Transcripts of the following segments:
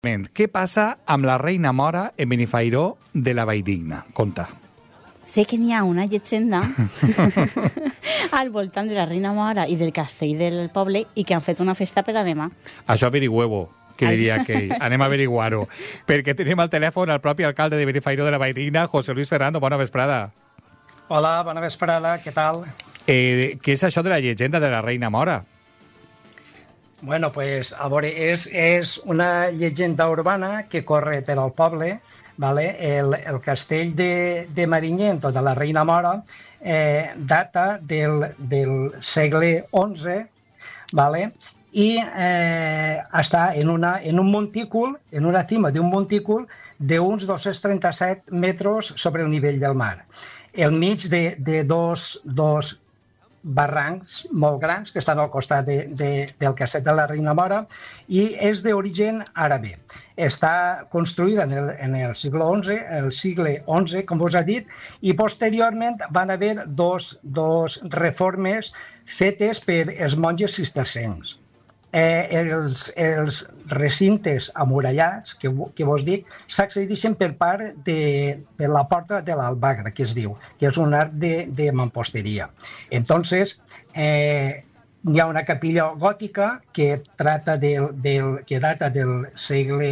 Què passa amb la reina Mora en Benifairó de la Valldigna? Conta. Sé que n'hi ha una llegenda al voltant de la reina Mora i del castell del poble i que han fet una festa per a demà. Això averigüeu, que diria aquell. Anem a averiguar-ho. Perquè tenim al telèfon el propi alcalde de Benifairó de la Valldigna, José Luis Ferrando. Bona vesprada. Hola, bona vesprada, què tal? Què és això de la llegenda de la reina Mora? Bueno, pues, a veure, és una llegenda urbana que corre per al poble, vale? El castell de Marinyent o de la reina Mora data del segle XI, vale? I està en un montícul, en una cima d'un montícul d'uns 237 metres sobre el nivell del mar, al mig de dos barrancs molt grans que estan al costat del castell de la reina Mora i és d'origen àrabe. Està construïda en el segle XI, com us ha dit, i posteriorment van haver dos reformes fetes per els monges cistercencs. Els recintes amurallats, que vos dic, s'accedeixen per la porta de l'Albagra, que es diu, que és un arc de mamposteria. Entonces, hi ha una capilla gòtica que data del segle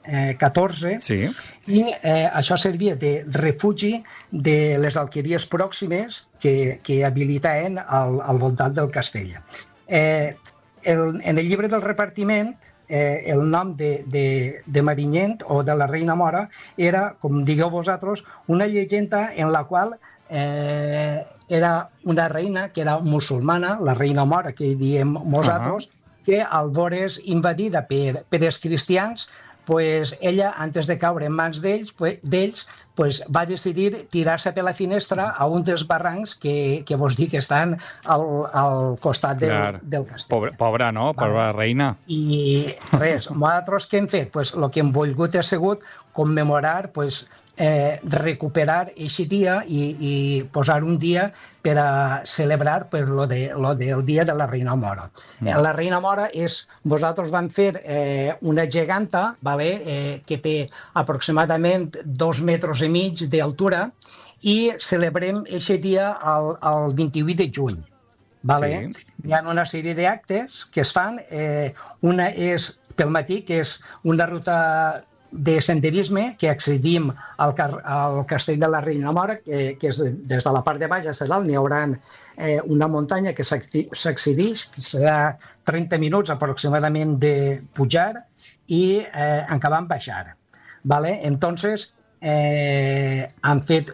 XIV, sí. I això servia de refugi de les alqueries pròximes que habilitaven al voltant del castell. En el llibre del repartiment, el nom de Marinyent o de la reina Mora era, com digueu vosaltres, una llegenda en la qual era una reina que era musulmana, la reina Mora, que diem nosaltres, que al veure's invadida per els cristians, pues ella, antes de caure en mans d'ells, va decidir tirar-se per la finestra a un dels barrancs que vos dic que estan al costat del castell. Pobra, no? Pobra reina. I res, nosaltres què hem fet? Pues, el que hem volgut ha sigut commemorar, recuperar aquest dia i posar un dia per a celebrar lo del dia de la reina Mora. La reina Mora vosaltres van fer una geganta, que té aproximadament 2,5 metres d'altura i celebrem aquest dia el 28 de juny. Vale? Sí. Hi ha una sèrie d'actes que es fan. Una és pel matí, que és una ruta de senderisme que accedim al castell de la reina Mora, que és des de la part de baix a dalt. N'hi haurà una muntanya que s'accedeix, que serà 30 minuts aproximadament de pujar i acabant baixar. Vale? Entonces, han fet,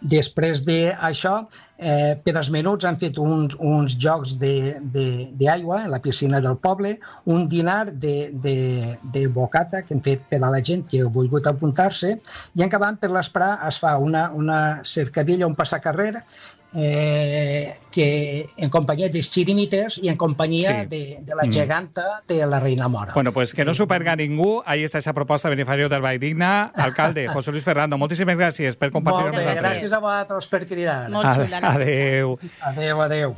després d'això, per als menuts han fet uns jocs d'aigua en la piscina del poble, un dinar de bocata que hem fet per a la gent que ha volgut apuntar-se, i acabant per l'esprà es fa una cercavilla, un passacarrer, que en companyia dels xirimites i en companyia de la geganta de la reina Mora. Bueno, pues que no s'ho perga ningú. Ahí està esa proposta de Benifairó del Valldigna. Alcalde, José Luis Ferrando, moltíssimes gràcies per compartir amb nosaltres. Gràcies a vosaltres per cridar. Molt xula. Adéu. Adéu.